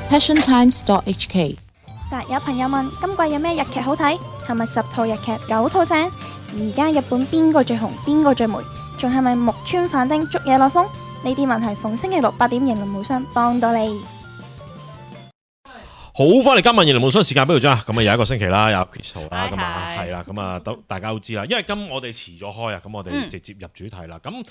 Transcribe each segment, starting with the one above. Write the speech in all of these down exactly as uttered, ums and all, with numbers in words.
passion times dot h k。實有朋友問今季有咩日劇好睇？係咪十套日劇九套正？而家日本邊個最紅？邊個最霉？仲係咪木村反町捉野內風？呢啲問題逢星期六八點，型林無雙幫到你。好，翻嚟今晚型林無雙時間俾到咗啊！咁啊，有一個星期啦，有 Crystal 啦，咁啊係啦，咁啊都大家都知啦，因為今我哋遲咗開啊，咁我哋直接入主題啦。咁誒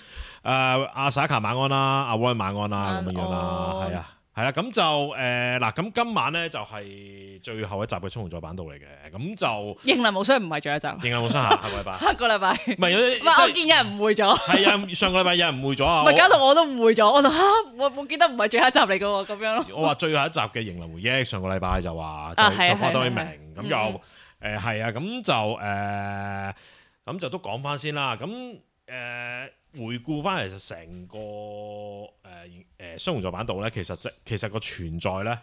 阿薩卡晚安啦，阿 Roy 晚安啦，咁樣樣啦，係啊。係啦，咁就誒嗱，咁今晚咧就係最後一集嘅《衝紅座版道》嚟嘅，咁就型林無雙唔係最後一集，型林無雙下下個禮拜，下個禮拜唔係有啲，唔係我見有人誤會咗，係啊，上個禮拜有人誤會咗啊，唔係搞到我都誤會咗，我就嚇我我記得唔係最後一集嚟嘅喎，咁樣咯。我話最後一集嘅型林回憶，上個禮拜就話就就講多啲明，咁又誒係啊，咁就誒咁就都講翻先啦，咁誒。回顧翻其實成個誒誒雙紅座版道咧，其實即其實個存在咧，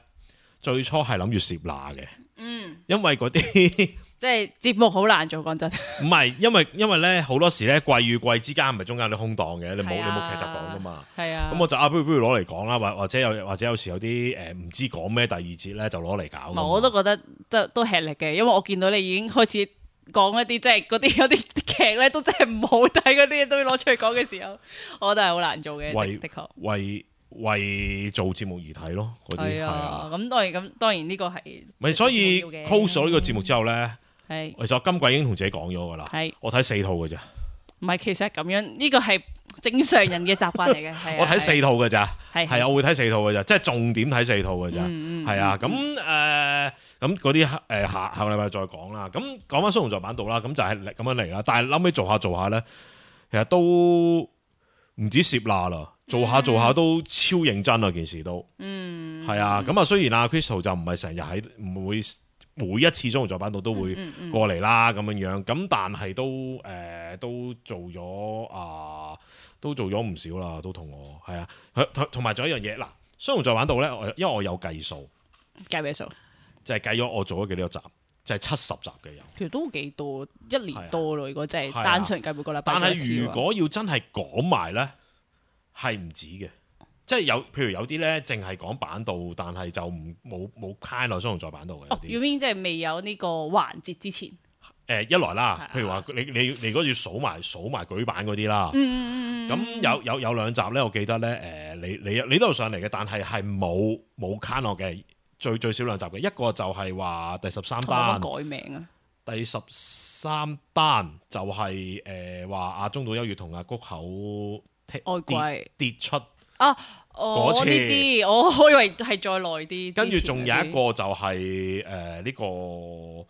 最初係諗住攝罅嘅，嗯，因為嗰啲即係節目好難做，講真。唔係，因為因為咧好多時咧季與季之間唔係中間有啲空檔嘅，你冇、啊、你冇劇集講噶嘛，係啊，咁我就啊不如不如攞嚟講啦，或或者有或者有時有啲誒唔知講咩第二節咧就攞嚟搞。我都覺得都都吃力嘅，因為我見到你已經開始。講一啲即係嗰啲有啲劇咧都真係唔好睇嗰啲嘢都要攞出嚟講嘅時候，我覺得係好難做嘅，為的確為為做節目而睇咯，嗰啲係啊。咁當然咁當然呢個係咪所以 close 咗呢個節目之後咧，係其實我今季已經同自己講咗噶啦，係我睇四套嘅咋。唔係，其實咁樣呢個係正常人嘅習慣嚟嘅。我睇四套嘅咋，係係我會睇四套嘅咋，即係重點睇四套嘅咋，係啊。咁誒咁嗰啲誒下下個禮拜再講啦。咁講翻雙紅座版道啦，咁就係咁樣嚟啦。但係後尾做下做下咧，其實都唔止攝罅啦，做下做下都超認真啊！件事都，嗯，係啊。咁啊，雖然阿 Crystal 就唔係成日喺唔會。每一次雙紅座版道都會過嚟啦，咁樣樣，咁但係都誒、呃、都做咗啊，都做咗唔少啦，都同我係啊，同同埋仲有一樣嘢嗱，雙紅座版道咧，我因為我有計數，計咩數？就係計咗我做咗幾多集，就係七十集嘅有，其實都幾多，一年多咯。如果真係單純計每個禮拜，但係如果要真係講埋咧，係唔止嘅。即係有，譬如有啲咧，淨係講版道，但係就唔冇冇 count 落雙紅座版道嘅。哦，要邊即係未有呢個環節之前？誒、呃，一來啦，譬如話你你你如果要數埋數埋舉版嗰啲啦，嗯咁有有有兩集咧，我記得咧，誒、呃，你你你都有上嚟嘅，但係係冇冇 count 落嘅，最最少兩集嘅，一個就係話第十三單改名啊，第十三單就係誒話阿中島優月同阿谷口外跌跌出。啊！哦，呢啲我我以為係再耐啲。跟住仲有一個就係誒呢個誒嗰、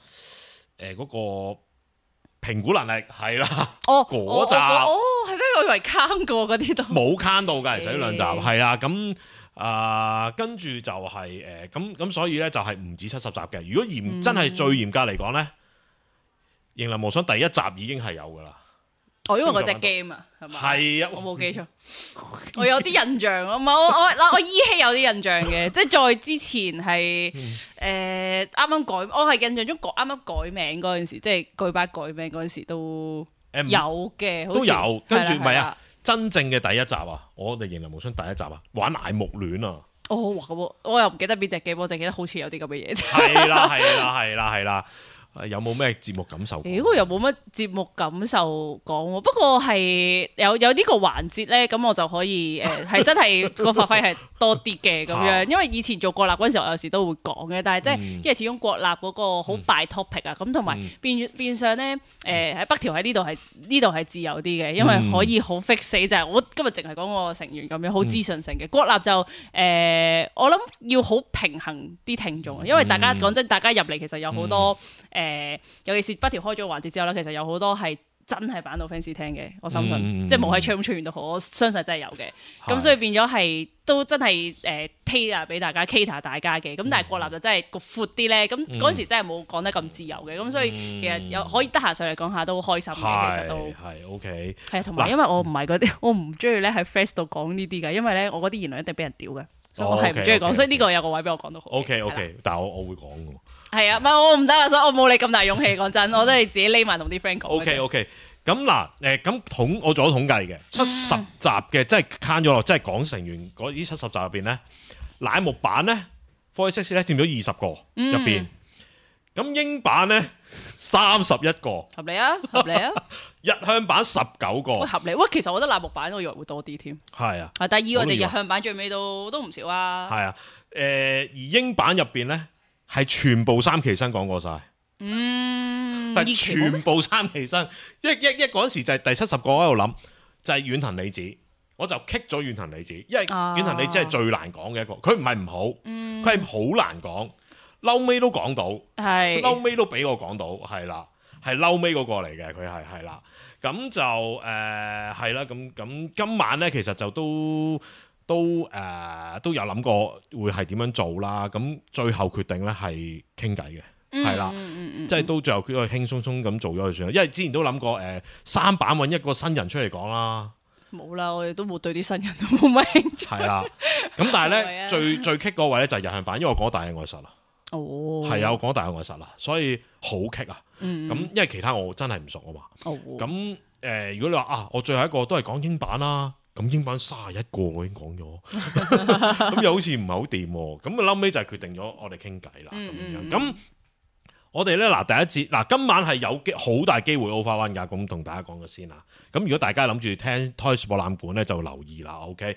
呃那個評估能力係啦。哦，嗰集哦係咩？我以為坑過嗰啲都冇坑到㗎，其實呢兩集係啦。咁啊，跟住就係誒咁咁，所以咧就係唔止七十集嘅。如果嚴、嗯、真係最嚴格嚟講咧，型林無雙第一集已經係有㗎啦。哦，因為嗰隻 game 啊，係嘛？係啊，我冇記錯，我有啲印象啊，唔係我我嗱我依稀有啲印象嘅，即係在之前係誒啱啱改，我係印象中改啱啱改名嗰陣時，即係舉辦改名嗰陣時都有嘅，都有。跟住唔係啊，真正嘅第一集啊，我哋型林無雙第一集啊，玩乃木戀啊。哦，哇咁我又唔記得邊隻 game，我淨記得好似有啲咁嘅嘢。係啦，係啦，係啦，係啦。有冇咩節目感受？誒，我又冇乜節目感受講喎。不過係有有呢個環節咧，咁我就可以誒，係、呃、真係個發揮係多啲嘅咁樣。因為以前做國立嗰陣時候，我有時都會講嘅。但係即係因為始終國立嗰個好大 topic 啊，咁同埋變變相咧誒喺北條喺呢度係呢度係自由啲嘅，因為可以好 fix 死就係、是、我今日淨係講個成員咁樣，好資訊性嘅。國立就誒、呃，我諗要好平衡啲聽眾，因為大家講真，大家入嚟其實有好多誒。呃誒，尤其是北條開咗個環節之後咧，其實有好多係真係版到 fans 聽嘅，我深信，嗯、即係冇喺 channel 出現都好，我相信真係有嘅。咁所以變咗係都真係誒 tailor 俾大家 cater 大家嘅。咁但係國立就真係個闊啲咧，咁嗰陣時真係冇講得咁自由嘅。咁、嗯、所以其實有可以得閒上嚟講下都好開心嘅，其實都係 OK。係啊，同埋因為我唔係嗰啲，我唔中意咧喺 face 度講呢啲嘅，因為咧我嗰啲言論一定俾人屌嘅。所以我係唔中意講，所以呢個有個位俾我講到好。O K O K，但係我我會講嘅。係啊，唔係我唔得啦，所以我冇你咁大勇氣。講真，我都係自己匿埋同啲 friend 講。O K O K，咁嗱，誒咁統我做咗統計嘅七十集嘅，即係慳咗落，即係講成員嗰啲七十集入邊咧，乃木坂咧四十六咧佔咗二十個入邊，咁、嗯、英版咧三十一個，合理啊，合理啊。日向版十九個，合理。喂，其實我覺得乃木版我以為會多啲添。係啊，係，但係以我哋日向版最尾都都唔少啊。係啊，誒、呃、而英版入邊咧係全部三期生講過晒。嗯，但係全部三期生，一一一嗰陣時就係第七十個喺度諗，就係遠藤理子，我就棘咗遠藤理子，因為遠藤理子係最難講嘅一個，佢唔係唔好，佢係好難講，嬲尾都講到，係嬲尾都俾我講到，係啦，係嬲尾嗰個嚟嘅，佢係係啦，咁就誒係啦，咁咁今晚咧其實就都都誒、呃、都有諗過會係點樣做啦，咁最後決定咧係傾偈嘅。係啦，嗯、即係都最後佢輕鬆鬆咁做咗佢算啦，因為之前都諗過誒、呃、三版揾一個新人出嚟講啦，冇啦，我哋都冇對啲新人都冇乜興趣。係啦，咁但係咧最最棘嗰位咧就係日向版，因為我講大嘅愛實啦，哦，係啊，我講大嘅愛實啦，所以好棘啊，咁、嗯、因為其他我真係唔熟啊嘛，哦，咁誒、呃、如果你話啊，我最後一個都係講英版啦，咁英版卅一個我已經講咗，咁又好似唔係好掂，咁啊後尾就係決定咗我哋傾偈啦，咁、嗯、樣咁。嗯我哋咧嗱第一節嗱今晚係有機好大機會 over one 㗎，咁同大家講咗先啦。咁如果大家諗住聽 Toys 博覽館咧，就留意啦。OK，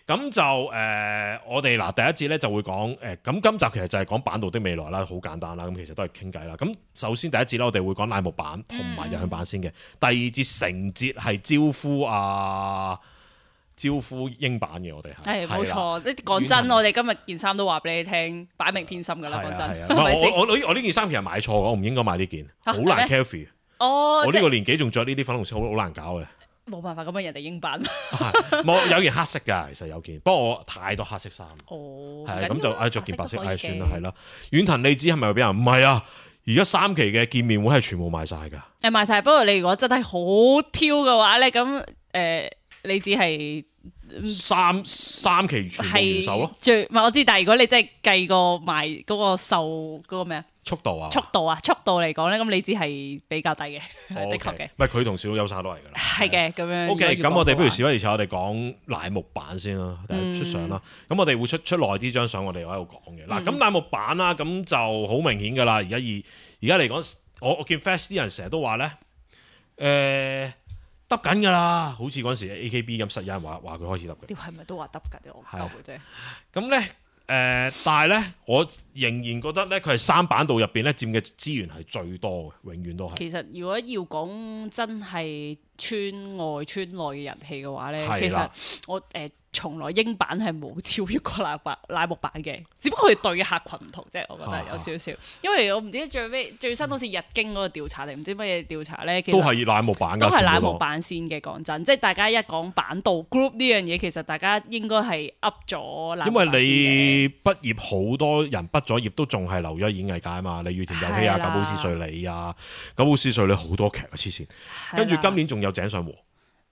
咁就誒、呃、我哋嗱第一節咧就會講誒，咁、呃、今集其實就係講版道的未來啦，好簡單啦。咁其實都係傾偈啦。咁首先第一節咧，我哋會講乃木坂同埋日向版先嘅。第二節成節係招呼啊。招呼英版嘅我哋係，係冇錯。講真，我哋今日件衫都話俾你聽，擺明偏心噶啦。講真，我我我我呢件衫其實買錯，我唔應該買呢件，好難 carry。哦，我呢個年紀仲着呢啲粉紅色，好好難搞嘅。冇辦法，咁樣人哋英版。冇有件黑色噶，其實有件，不過我太多黑色衫。哦，係咁就唉着件白色，唉算啦，係啦。遠藤理子係咪俾人？唔係啊，而家三期嘅見面會係全部賣晒噶。誒，賣晒。不過你如果真係好挑嘅話咧，咁誒。你只係三三期全部完售咯，最唔係我知，但係如果你真係計過賣嗰個售嗰個咩啊速度啊，速度啊，速度嚟講咧，咁你只係比較低嘅，哦、的確嘅。唔係佢同小優沙都係噶啦，係嘅咁樣。O K，咁我哋不如事不宜遲，我哋講乃木坂先啦，嗯、出相啦。咁我哋會出出耐啲張相，我哋喺度講嘅。嗱、嗯，咁乃木坂啦，咁就好明顯噶啦。而家而而家嚟講，我我見 Fast 啲人成日都話咧，誒、呃。得緊㗎啦，好似嗰陣時 A K B 咁，實有人話話佢開始得嘅。屌係咪都話得緊？我唔夠嘅啫。咁咧誒，但係咧，我仍然覺得咧，佢係三版道入邊咧佔嘅資源係最多嘅，永遠都係。其實如果要講真係村外村內嘅人氣嘅話咧，其實我誒。呃從來英版係冇超越過乃木坂乃木坂嘅，只不過佢對嘅客群唔同啫，我覺得有少少。啊、因為我唔知最尾最新好似日經嗰個調查定唔知乜嘢調查咧，其實都係乃木坂㗎，都係乃木坂先嘅。講真，即係大家一講版道 group 呢樣嘢，其實大家應該係 up 咗乃木坂先嘅。因為你畢業好多人畢咗業都仲係留咗演藝界啊嘛，李宇田有希啊、久保史緒里啊、久保史緒里好多劇啊黐線，跟住今年仲有井上和。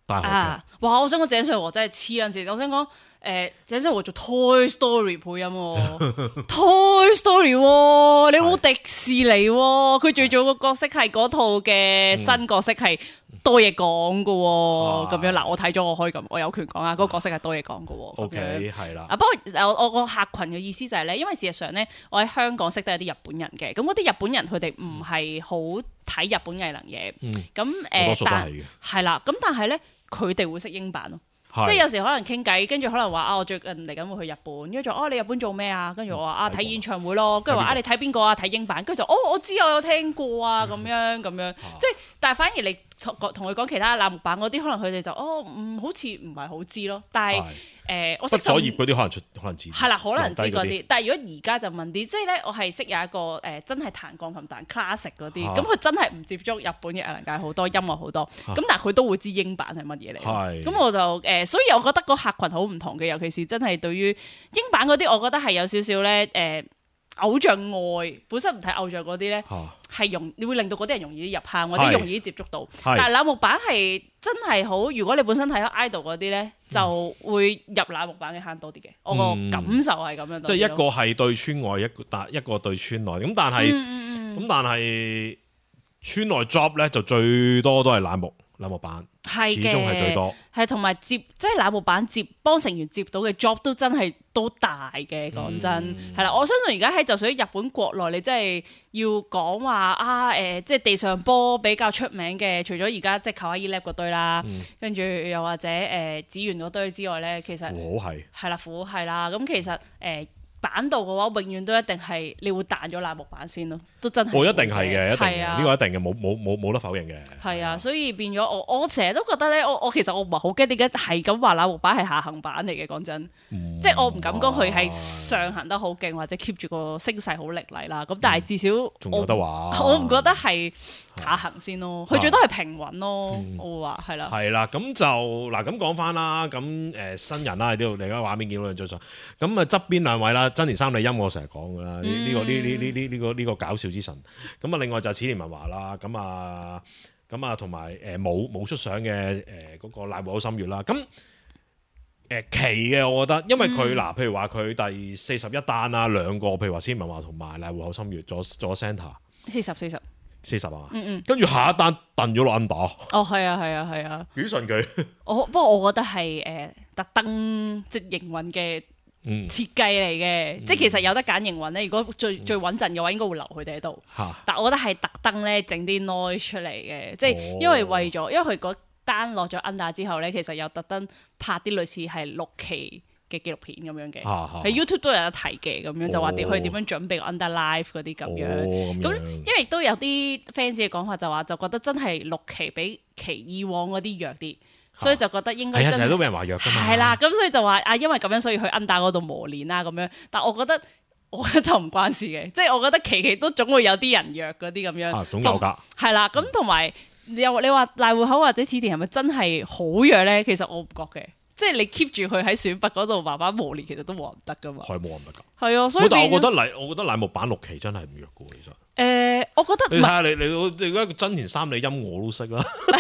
啊！哇！我想講井上和真係黐撚線，我想講誒井上和做 Toy Story 配音喎，Toy Story 喎，你冇迪士尼喎，佢最早個角色係嗰套嘅新角色係多嘢講嘅喎，咁樣嗱，我睇咗我可以咁，我有權講啊，嗰個角色係多嘢講嘅喎。OK，係啦。啊，不過我我個客群嘅意思就係咧，因為事實上咧，我喺香港識得有啲日本人嘅，咁嗰啲日本人佢哋唔係好睇日本藝能嘢，咁誒，但係啦，咁但係咧。佢哋會識英版咯，是即係有時可能傾偈，跟住可能話啊，我最近嚟緊會去日本，跟住就哦，你日本做咩啊？跟住我話啊，睇演唱會咯，跟住話啊，你睇邊個啊？睇英版，跟住就哦，我知我有聽過啊，咁樣咁樣，即係但係反而你同同佢講其他乃木坂嗰啲，可能佢哋就哦，唔好似唔係好知咯，但係。誒、呃，我識咗業嗰啲可能出，可能知係啦，可能知嗰啲。但係如果而家就問啲，即係咧，我係識有一個誒、呃，真係彈鋼琴彈 classic 嗰啲，咁佢、啊、真係唔接觸日本嘅藝能界好多音樂好多，咁、啊、但係佢都會知英版係乜嘢嚟。咁是我就誒、呃，所以我覺得個客群好唔同嘅，尤其是真係對於英版嗰啲，我覺得係有少少咧誒。呃偶像愛本身唔睇偶像嗰啲咧，係容你會令到嗰啲人容易啲入坑，或者容易啲接觸到。但係乃木坂係真係好，如果你本身睇開 idol 嗰啲咧，就會入乃木坂嘅坑多啲嘅。我個感受係咁樣。即係一個係對村外，一個但一個對村內。咁但係咁但係村內 job 咧就最多都係乃木乃木坂係嘅，始終係最多，係同埋接即係乃木坂接幫成員接到嘅 job 都真係都大嘅，講真係啦、嗯。我相信而家喺就算喺日本國內，你真係要講話啊誒、呃，即係地上波比較出名嘅，除咗而家即係 Kawaii Lab 嗰堆啦，嗯、跟住又或者誒紫園嗰堆之外咧，其實符號係係啦，符號係啦，咁其實誒。呃版度嘅話，永遠都一定係你會彈咗乃木坂先咯，都真係。我、哦、一定係嘅，一定嘅，呢、呢個一定嘅，冇冇冇冇得否認嘅。係啊，所以變咗我我成日都覺得咧，我我其實我唔係好驚點解係咁話乃木坂係下行版嚟嘅，講真，嗯、即係我唔敢講佢係上行得好勁或者 keep 住個聲勢好凌厲啦。咁但係至少仲、嗯、有得話，我唔覺得係下行先咯，佢、啊、最多係平穩咯。嗯、我會話係啦。係啦，咁就嗱咁講翻啦，咁誒、呃、新人啦喺呢度，你而家畫面見到兩張相，咁啊側邊兩位啦，真田三里音我成日講噶啦，呢呢、嗯這個呢呢呢呢呢個呢、這個搞笑之神。咁啊，另外就淺田文華啦，咁啊，咁啊，同埋誒冇冇出相嘅誒嗰個瀨戶口心月啦。咁誒、呃、奇嘅，我覺得，因為佢嗱、嗯，譬如話佢第四十一單啊，兩個，譬如話淺田文華同埋瀨戶口心月做做 centre，四十四十四十啊，嗯嗯，跟住下一單燉咗落 under。哦，係啊，係啊，係啊，幾順佢。我不過我覺得係誒、呃、特登即係營運嘅。嗯、設計嚟嘅，嗯、即係其實有得揀營運咧。如果最最穩陣嘅話，應該會留佢哋喺度。哈但我覺得係特登咧整啲 noise 出嚟嘅，即係、哦、因為為咗，因為佢嗰單落咗 under 之後咧，其實有特登拍啲類似係六期嘅紀錄片咁樣嘅，喺哈 YouTube 都有得睇嘅，咁樣、哦、就話點佢點樣準備 under live 嗰啲咁樣。咁、哦、因為都有啲 fans 嘅講法就話，就覺得真係六期比其以往嗰啲弱啲。所以就覺得應該真係成日都俾人話弱㗎嘛。係啦，咁所以就話啊，因為咁樣所以去 under 嗰度磨練啦咁樣。但我覺得我覺得就唔關事嘅，即係我覺得期期都總會有啲人弱嗰啲咁樣。啊，總有㗎。係啦，咁同埋又你話瀨戶口或者淺田係咪真係好弱咧？其實我唔覺嘅，即係你 keep 住佢喺選拔嗰度慢慢磨練，其實都冇人得㗎嘛。係冇人得㗎。係啊，所以但係我覺得瀨我覺得瀨木坂六期真係唔弱嘅其實。誒、呃，我覺得你睇下你你你而家真田三里音我都識啦。唔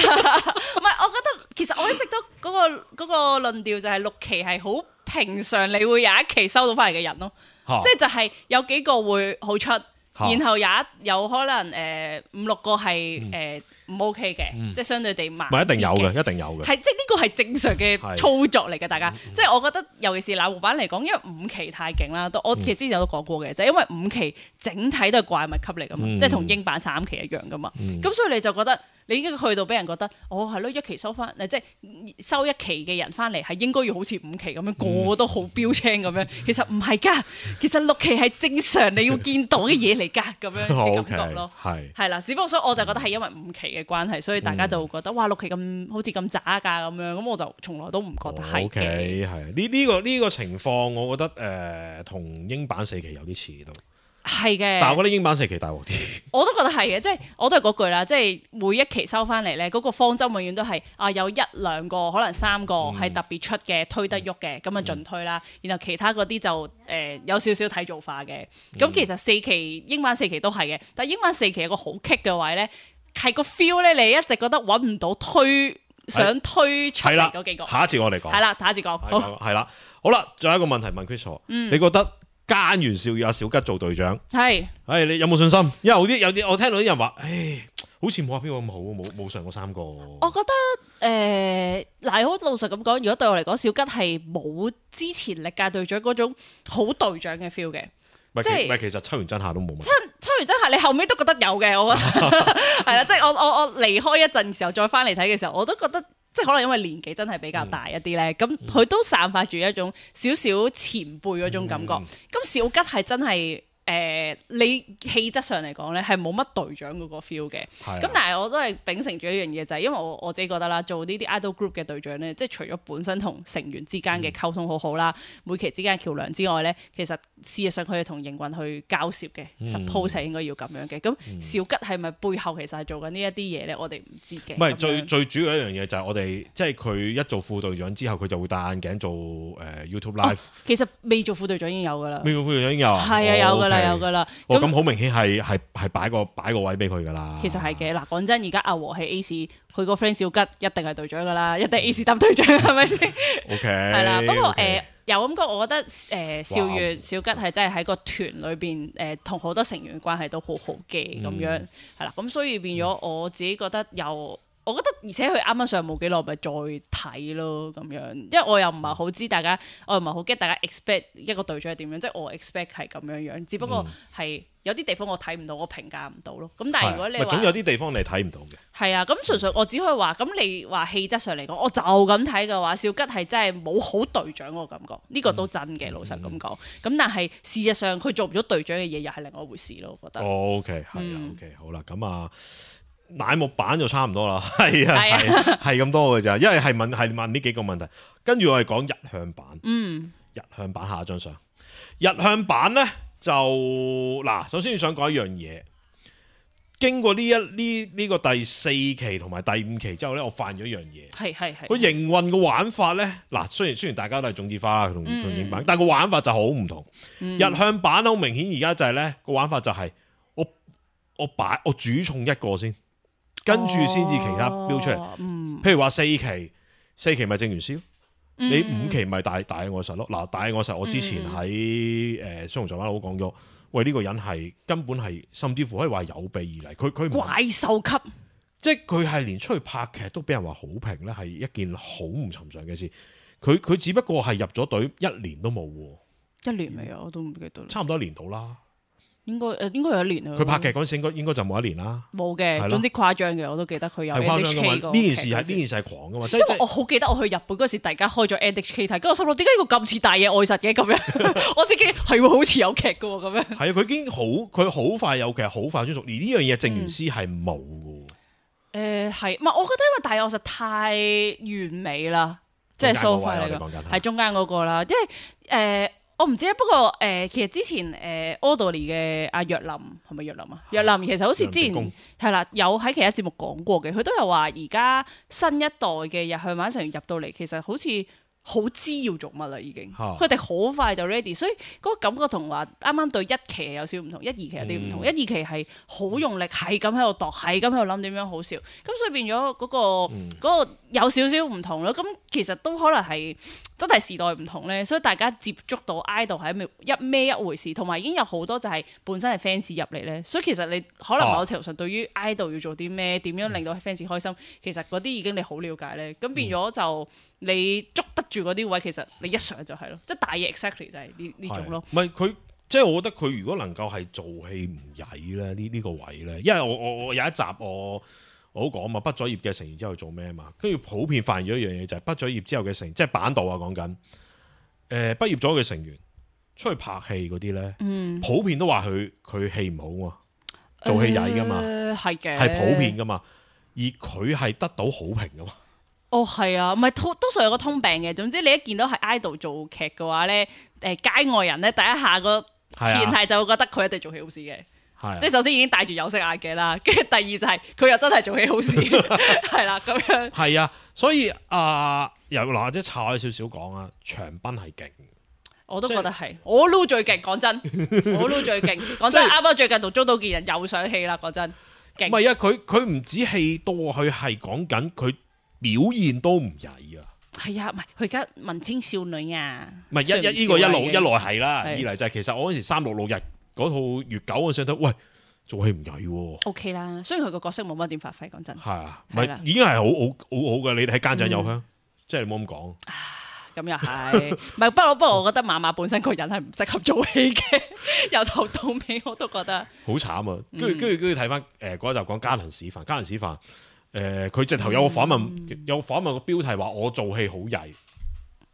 係，我覺得其實我一直都嗰、嗰個嗰、嗰個論調就係六期係好平常，你會有一期收到翻嚟嘅人咯，哈即係就係有幾個會好出，哈然後有一有可能誒、呃、五六個係誒唔 OK 嘅，嗯、即係相對地慢。唔係一定有嘅，一定有嘅。係即係呢個係正常嘅操作嚟嘅，大家。嗯、即係我覺得，尤其是乃木坂嚟講，因為五期太勁啦，我其實之前都講過嘅，就係、因為五期整體都係怪物級嚟噶嘛，嗯、即係同英版三期一樣噶嘛。咁、嗯、所以你就覺得。你已經去到俾人覺得，哦係咯，一期收翻，即係收一期嘅人翻嚟係應該要好似五期咁樣，嗯、個個都好標青咁樣。其實唔係㗎，其實六期係正常你要見到嘅嘢嚟㗎，咁樣嘅感覺咯。係係啦，只不過所以我就覺得係因為五期嘅關係，所以大家就會覺得、嗯、哇六期咁好似咁渣㗎咁樣，咁我就從來都唔覺得係嘅。OK 係呢呢個呢、呢個情況，我覺得誒同、呃、英版四期有啲似都。係嘅，但係我覺得英版四期大鑊啲。我都覺得係嘅，即係我都係嗰句啦，即係每一期收翻嚟咧，嗰、嗰個方針永遠都係啊有一兩個可能三個係特別出嘅、嗯、推得喐嘅，咁啊盡推啦。嗯、然後其他嗰啲就誒、呃、有少少睇造化嘅。咁、嗯、其實四期英版四期都係嘅，但係英版四期有個好棘嘅位咧，係個 feel 咧，你一直覺得揾唔到推想推出嚟嗰幾個。下一次我哋講。係啦，下一次講。係啦，好啦，仲有一個問題問 Chris，、嗯、你覺得？菅原少宇阿小吉做隊長，係是，唉，你有冇信心？因為有啲有啲，我聽到啲人話，唉，好似冇阿邊個咁好，冇冇上過三個。我覺得誒，嗱、呃，好老實咁講，如果對我嚟講，小吉係冇之前歷屆隊長嗰種好隊長嘅 feel 嘅，即係唔係？其實秋元真夏都冇乜。秋秋元真夏，你後尾都覺得有嘅，我覺得係啦，即係我我我離開一陣時候再翻嚟睇嘅時候，我都覺得。即係可能因為年紀真係比較大一啲咧，咁佢、嗯、都散發住一種少少前輩嗰種感覺。咁、嗯、小吉係真係。誒、呃，你氣質上嚟講咧，係冇乜隊長嗰個 feel 嘅。咁的但係我都係秉承住一樣嘢，就係、是、因為我我自己覺得啦，做呢啲 idol group 嘅隊長咧，即係除咗本身同成員之間嘅溝通好好啦，嗯、每期之間嘅橋梁之外咧，其實事實上佢係同營運去交涉嘅、嗯、suppose 係應該要咁樣嘅。咁、嗯、小吉係咪背後其實係做緊呢一啲嘢咧？我哋唔知嘅。唔係最最主要一樣嘢就係我哋即係佢一做副隊長之後，佢就會戴眼鏡做誒、呃、YouTube Live、哦。其實未做副隊長已經有㗎啦。未做副隊長已經有啊。係啊，有㗎啦，有㗎啦。咁好明顯係係係擺個擺個位俾佢噶啦。其實係嘅，嗱講真，而家阿和係 A 市，佢個 friend 小吉一定係隊長噶啦，一定 A 市擔隊長係咪先？OK，係啦。不過誒有咁講，我覺得誒少月小吉係真係喺個團裏邊誒同好多成員關係都好好嘅咁樣，係啦。咁所以變咗我自己覺得又我覺得，而且佢啱啱上冇幾耐，咪再睇咯咁樣。因為我又唔係好知大家，我又唔係好驚大家 expect 一個隊長係點樣，即係我 expect 係咁樣樣。只不過係有啲地方我睇唔到，我評價唔到咯。咁但係如果你話，總有啲地方你睇唔到嘅。係啊，咁純粹我只可以話，咁你話氣質上嚟講，我就咁睇嘅話，少吉係真係冇好隊長個感覺，呢、這個都真嘅，嗯、老實咁講。咁、嗯、但係事實上佢做唔咗隊長嘅嘢，又係另外一回事咯。我覺得。哦、OK，係啊、嗯、，OK，好啦，咁啊。乃木坂就差唔多啦，係啊，係係咁多嘅咋，因為係問係問呢幾個問題，跟住我哋講日向版，嗯，日向版下一張相，日向版咧就嗱，首先想講一樣嘢，經過呢一呢呢個第四期同埋第五期之後咧，我發現咗一樣嘢，係係係，個營運嘅玩法咧，嗱，雖然雖然大家都係種子花同同影版，但係個玩法就好唔同，嗯、日向版好明顯而家就係咧個玩法就係我我擺我主重一個先。跟住先至其他標出嚟，哦嗯、譬如話四期，四期咪正元師，嗯、你五期咪大大愛實咯。嗱，大愛實我之前喺誒雙龍座灣佬講咗，喂呢、呢個人係根本係，甚至乎可以話有備而嚟，佢佢怪獸級，即係佢係連出去拍劇都俾人話好評咧，係一件好唔尋常嘅事。佢佢只不過係入咗隊一年都冇，一年未啊？我都唔記得啦，差唔多一年到啦。應該誒應該有一年啊！佢拍劇嗰陣時應該應該就冇一年啦。冇嘅，的總之誇張嘅，我都記得佢有 N H K 個。呢件事係呢件事係狂噶嘛？即係我好記得我去日本嗰時，大家開咗 N H K 睇，跟住我心諗點解要咁似大野愛實嘅咁樣？我自己係喎，好似有劇嘅喎咁樣。係啊，佢已經好，佢好快有劇，好快專屬。而呢樣嘢正元師係冇嘅。誒係、嗯，唔係我覺得因為大野愛實太完美啦，即係 so far 嚟講係中間嗰個啦，因為誒。呃我唔知咧，不過誒、呃，其實之前誒 Oddly 嘅阿若林係咪若林啊？若林其實好似之前係啦，有喺其他節目講過嘅，佢都有話而家新一代嘅日向版成員入到嚟，其實好似好知要做乜啦，已經佢哋好快就 ready，所以嗰個感覺同話啱啱對一期有少少唔同，一二期有啲唔同，嗯、一二期係好用力，係咁喺度度，係咁喺度諗點樣好笑，咁所以變咗嗰、嗰個嗰、嗯、個有少少唔同咯。咁其實都可能係真係時代唔同咧，所以大家接觸到 idol 係一咩一回事，同埋已經有好多就係本身係 fans 入嚟咧，所以其實你可能某程度上對於 idol 要做啲咩，點樣令到 fans 開心，其實嗰啲已經你好了解咧，咁變咗就你捉得住嗰啲位，其實你一上就係咯，即係大嘢 exactly 就係呢呢種咯。唔係佢，即係我覺得佢如果能夠係做戲唔曳咧，呢、呢、呢個位咧，因為我我我有一集我我都講嘛，畢咗業嘅成員之後做咩嘛，跟住普遍發現咗一樣嘢就係畢咗業之後嘅成員，即係版導啊講緊，誒、呃、畢業咗嘅成員出去拍戲嗰啲咧，嗯、普遍都話佢佢戲唔好啊，做戲曳噶嘛，係嘅、呃，係普遍噶嘛，而佢係得到好評噶嘛。哦，係啊，唔係多數有個通病嘅。總之你一見到係 idol 做劇嘅話咧，誒、呃、街外人咧第一下個前提就會覺得佢一定做戲好事嘅，啊、即係首先已經戴住有色眼鏡啦，跟住第二就係佢又真係做戲好事，係啦咁樣。係啊，所以啊，又嗱或者岔開少少講啊，長濱係勁，我都覺得係，即我撈最勁，講真，我撈最勁，講真，啱啱最近同中島健人又上戲啦，講真，勁。唔係啊，佢佢唔止戲多，佢係講緊佢。表現都唔曳啊！係啊，唔係佢而家文青少女啊，唔係一一呢個一路一路係啦，二嚟就係其實我嗰時三六六日嗰套月九我想睇，喂做戲唔曳喎。O K 啦，雖然佢個角色冇乜點發揮，講真。係啊，唔係已經係好好好好嘅，你睇奸仔有香，即係你冇咁講。咁又係，唔係不過不過我覺得馬馬本身個人係唔適合做戲嘅，由頭到尾我都覺得。好慘啊！跟住跟住跟住睇翻誒嗰一集講嘉倫史範，嘉倫史範。誒佢、呃、直頭有個訪問，嗯、有個訪問個標題話我做戲好曳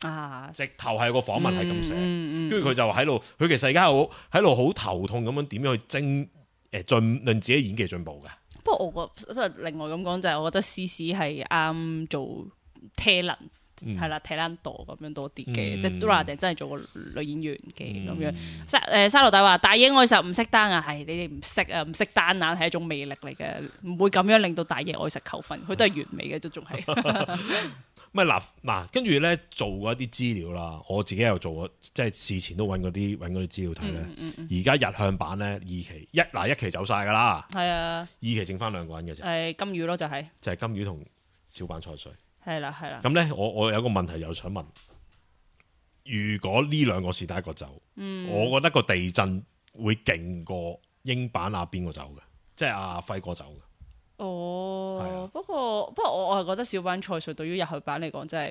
啊！直頭係個訪問係咁寫，跟住佢就喺度，佢其實而家好喺度好頭痛咁樣點樣去精誒進令自己演技進步嘅。不過我覺得另外咁講就係，我覺得詩詩係啱做 talent。係啦，睇爛度咁樣多啲嘅，嗯、即係都話定真係做個女演員嘅咁、嗯、樣。沙誒沙羅大話大野愛實唔識單啊，係你哋唔識啊，唔識單眼係一種魅力嚟嘅，唔會咁樣令到大野愛實扣分，佢都係完美嘅，都仲係。唔係嗱嗱，跟住咧做過一啲資料啦，我自己又做過，即係事前都揾嗰啲揾嗰啲資料睇咧。而家、嗯嗯嗯、日向版咧二期一嗱一期走晒㗎啦，係啊，二期剩翻兩個人嘅啫。誒金魚咯就係、是、就係金魚同小坂菜穗。係啦，係啦。咁咧，我我有個問題又想問：如果呢兩個是第一個走，嗯、我覺得個地震會勁過英版阿邊個走嘅，即係阿輝哥走嘅。哦，不過不過我我係覺得小坂菜穗對於日向版嚟講，真係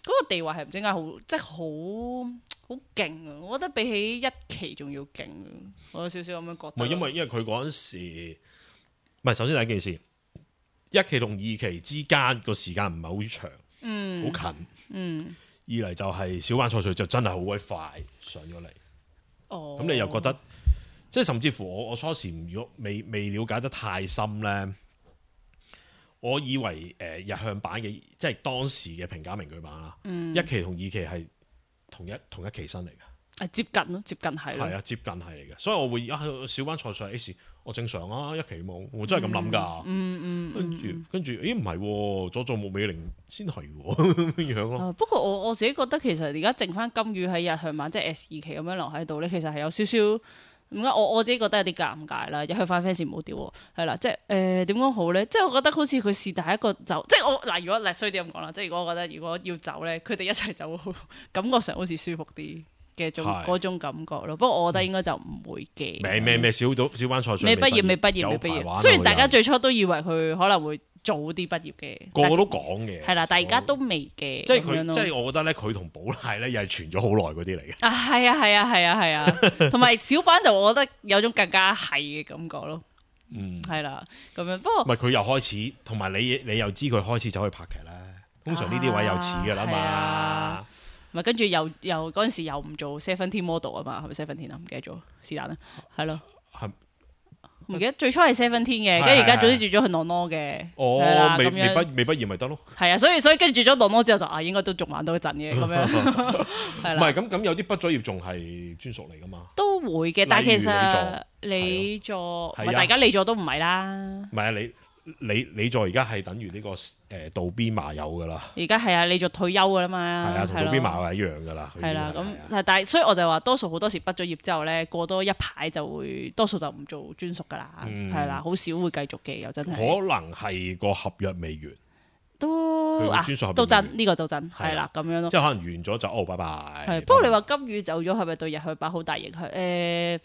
嗰個地位係唔知點解好，即係好好勁啊！我覺得比起一期仲要勁啊！我有少少咁樣覺得。唔係因為因為佢嗰陣時，唔係首先第一件事，一期同二期之間個時間唔係好長，嗯，好近，嗯。二嚟就係小坂菜穗就真係好鬼快上咗嚟。哦，咁你又覺得，即係甚至乎我我初時如果未未了解得太深咧。我以為誒、呃、日向版嘅即係當時嘅平假名句版啦，嗯、一期同二期係同一同一期生嚟嘅，係接近咯，接近係咯，係啊，接近係嚟嘅，所以我會啊小坂菜穗 X， 我正常啊，一期冇，我真係咁諗㗎，嗯嗯，跟住跟住，咦唔係，佐佐木美玲先係咁樣咯、啊。不過我我自己覺得其實而家剩翻金魚喺日向版即係 S 二期咁樣留喺度咧，其實係有少少。點解我我自己覺得有啲尷尬啦？日向版 fans 唔好屌喎，係啦，即係誒點講好咧？即係我覺得好似佢是第一個走，即係我嗱，如果嚟衰啲咁講啦，即係如果我覺得如果要走咧，佢哋一齊走，感覺上好似舒服啲嘅種嗰種感覺咯。不過我覺得應該就唔會嘅。咩咩咩小到小坂菜穗未畢業，未畢業，未畢業。雖然大家最初都以為佢可能會早啲畢業嘅，個個都講嘅，係啦，但係而家都未嘅。即係佢，即係我覺得咧，佢同寶瀨咧又係傳咗好耐嗰啲嚟嘅。啊，係啊，係啊，係啊，係啊，同埋小坂就我覺得有種更加係嘅感覺咯。嗯，係啦，咁樣。不過唔係佢又開始，同埋你你又知佢開始走去拍劇咧。通常呢啲位又似㗎啦嘛。咪跟住又又嗰陣時又唔做 Seventeen model 啊嘛，係咪 Seventeen 啊？唔記得咗，是但啦，係咯。唔記得最初係 Seventeen 嘅，跟住而家早啲轉咗去 Nono 嘅。哦，未未畢未畢業咪得咯。係啊，所以所以跟住轉咗 Nono 之後就啊，應該都仲玩到一陣嘅咁樣。係啦。唔係咁咁有啲畢咗業仲係專屬嚟噶嘛？都會嘅，但係其實你做唔係大家你做都唔係啦。唔係啊，你你你做而家係等於呢個誒渡邊麻友噶啦。而家係啊，你做退休噶啦嘛。係啊，同渡邊麻友係一樣噶啦。係啦，咁但係所以我就話多數好多時畢咗業之後咧，過多一排就會多數就唔做專屬噶啦，係啦，好少會繼續嘅，又真係。可能係個合約未完，都啊都真呢個就真係啦，咁樣咯。即係可能完咗就哦，拜拜。係，不過你話金魚走咗係咪對日向版好大影響？誒。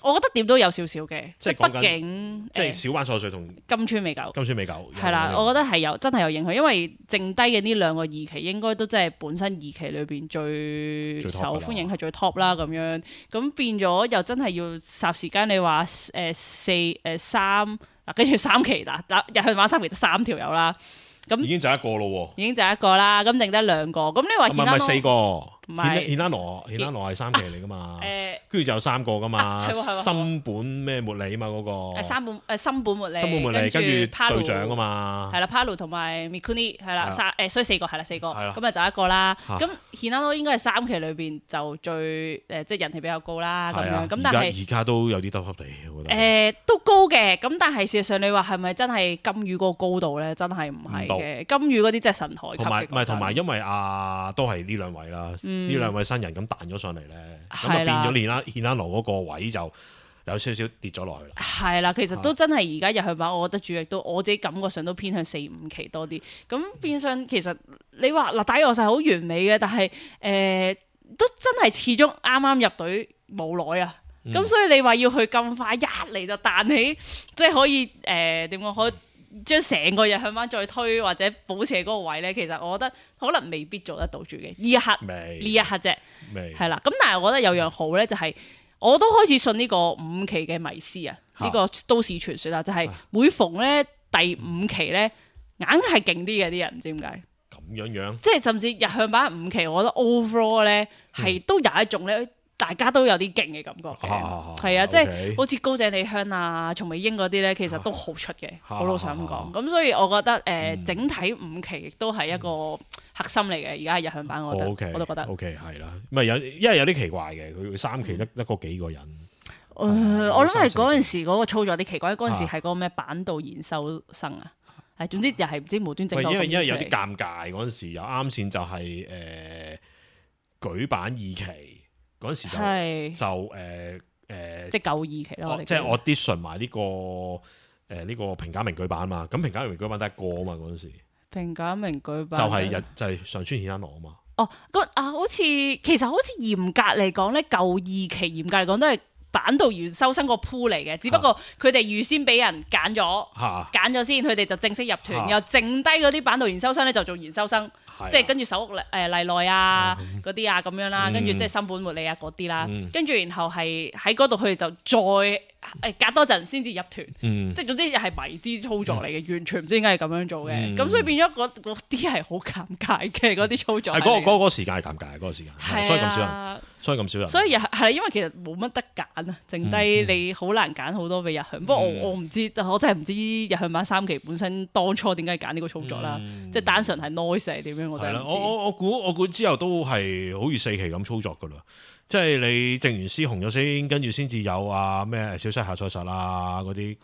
我覺得點都有少少嘅，即係畢竟即係小坂菜穗同金川美久，金川美久係啦，我覺得係有真係有影響，因為剩低嘅呢兩個二期應該都真係本身二期裏邊最受歡迎係最 top 啦咁樣，咁變咗又真係要霎時間你話誒四誒三嗱，跟住三期嗱嗱日向版三期得三條友啦，咁已經就一個咯喎，已經就一個啦，咁剩得兩個，咁你話唔係四個，唔係顯拉羅，顯拉羅係三期嚟噶嘛？誒，跟住就有三個噶嘛？新本咩茉莉啊嘛嗰個？誒三本誒新本茉莉，新本茉莉跟住隊長啊嘛？係啦 ，Paru 同埋 Mikuni 係啦，三誒所以四個係啦，四個咁啊就一個啦。咁顯拉羅應該係三期裏邊就最誒即係人氣比較高啦咁樣。咁但係而家都有啲低級地，我覺得誒都高嘅。咁但係事實上你話係咪真係金魚嗰個高度咧？真係唔係嘅。金魚嗰啲真係神台級嘅。同埋唔係同埋，因為啊都係呢兩位啦，呢兩位新人咁彈咗上嚟咧，咁啊變咗顯拉顯拉羅嗰個位就有少少跌咗落去啦。係啦，其實都真係而家日向版，我覺得主力都我自己感覺上都偏向四五期多啲。咁變相其實你話嗱，打遊戲係好完美嘅，但係誒、呃、都真係始終啱啱入隊冇耐啊。咁、嗯、所以你話要去咁快一嚟就彈起，即係可以誒點講可以將成個日向版再推或者保持喺嗰個位咧，其實我覺得可能未必做得到住嘅呢一刻，呢一刻啫，係啦。咁但係我覺得有樣好咧，就係、是、我都開始信呢個五期嘅迷思啊，呢、這個都市傳說啊，就係、是、每逢咧第五期咧，硬係勁啲嘅啲人，唔知點解咁樣樣，即係甚至日向版五期，我覺得 overall 咧係、嗯、都有一種咧。大家都有啲勁嘅感覺嘅，係啊，啊即係 okay, 好似高井莉香啊、松尾櫻嗰啲咧，其實都好出嘅，好、啊、老實咁講。咁、啊、所以我覺得誒，呃嗯、整體五期亦都係一個核心嚟嘅。而家係日向版，我覺得，哦 okay, 我都覺得。O K 係啦，唔係有，因為有啲奇怪嘅，佢三期得得嗰幾個人。誒、嗯，我諗係嗰陣時嗰個操作有啲奇怪，嗰陣時係嗰個咩板道研修生啊，係總之又係唔知無端整。因為因為有啲尷尬嗰陣時，又啱先就係、是、誒、呃、舉辦二期。嗰陣時就就誒誒，即係舊二期咯，即係 audition 埋呢個誒呢個平假名舉版嘛。咁平假名舉版得一個啊嘛。嗰陣時平假名舉版就係日就係上川顯拉羅啊嘛。哦，嗰啊好似其實好似嚴格嚟講咧，舊二期嚴格嚟講都係板道研修生個 pool 嚟嘅，只不過佢哋預先俾人揀咗，揀咗先，佢哋就正式入團，又剩低嗰啲板道研修生咧就做研修生，即係跟住手屋誒麗內啊嗰啲啊咁樣啦，跟住即係森本茉莉啊嗰啲啦，跟住然後係喺嗰度佢哋就再誒隔多陣先至入團，即係總之又係迷之操作嚟嘅，完全唔知點解係咁樣做嘅，咁所以變咗嗰嗰啲係好尷尬嘅嗰啲操作。係嗰個嗰個時間係尷尬，嗰個時間，所以咁少人，所以咁少人。所以係因為其實冇乜得揀啊，剩低你好難揀好多俾日向。不過我我唔知，我真係唔知日向版三期本身當初點解揀呢個操作啦，即係單純係 noise 係點樣，我真係唔知。我我我估我估之後都係好似四期咁操作噶啦。即係你靜元師紅咗先，跟住先至有啊咩小西下賽實啊嗰啲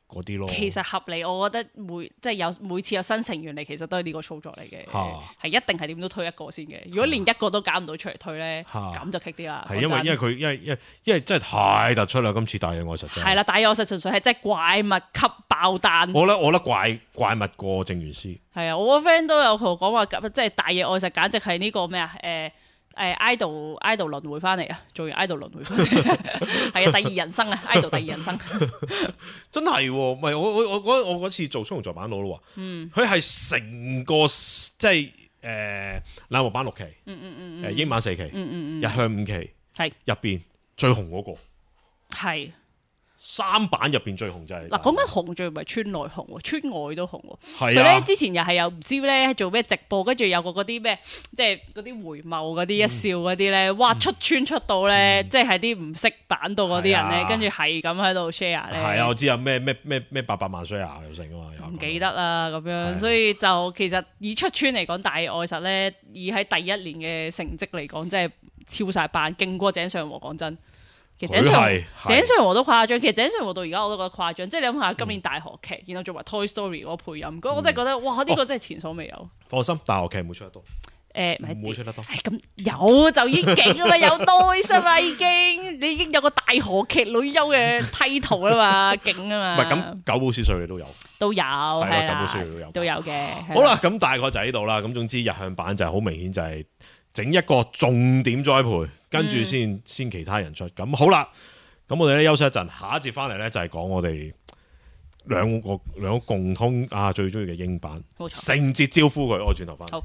嗰啲咯。其實合理，我覺得每即係有每次有新成員嚟，其實都係呢個操作嚟嘅，係、啊、一定係點都推一個先嘅。如果連一個都揀唔到出嚟推咧，咁、啊、就棘啲啦。係因為因為佢因為因為因為真係太突出啦！今次大野愛實真係啦，大野愛實純粹係真係怪物級爆彈。我覺得我覺得怪怪物過靜元師。係啊，我個 friend 都有同我講話，即係大野愛實簡直係呢個咩啊？誒、呃。誒 idol idol 輪迴翻嚟啊，做完 idol 輪迴翻嚟，係啊，第二人生啊 idol 第二人生，真係喎，唔係我我我嗰我嗰次做雙龍座版佬咯喎，嗯，佢係成個即係誒冷漠版六期，嗯嗯嗯誒英版四期，嗯嗯嗯日向五期，係入邊最紅嗰個，係。三版入邊最紅就係嗱，講緊紅最唔係村內紅喎，村外都紅喎。係啊，佢咧之前又係有唔知咧做咩直播，跟住有個嗰啲咩，即係嗰啲回眸嗰啲一笑嗰啲咧，哇出村出到咧，即係啲唔識版到嗰啲人咧，跟住係咁喺度 share 咧。係啊，我知啊，咩咩咩咩八百萬 share 又成啊嘛，唔記得啦咁樣，所以就其實以出村嚟講，大愛實咧，以喺第一年嘅成績嚟講，真係超晒版，勁過井上和講真。其實井上井上和都誇張，其實井上和到而家我都覺得誇張，即係你諗下今年大河劇，然後做埋 Toy Story 嗰個配音，咁、嗯、我真係覺得哇呢、這個真係前所未有。放心，大河劇唔會出得多，誒唔會出得多。咁有就已經勁啦，有 noise 啊嘛已經，你已經有個大河劇女優嘅 title 啦嘛，勁啊嘛。唔係咁九寶小歲你都有，都有係啦，九寶小歲都有，都有嘅。好啦，咁大概就喺度啦。咁總之日向版就係好明顯就係整一個重點栽培。跟住先先其他人出，咁好啦。咁我哋咧休息一陣，下一節翻嚟咧就係講我哋兩個兩個共通啊最中意嘅英版，聖節招呼佢，我轉頭翻嚟。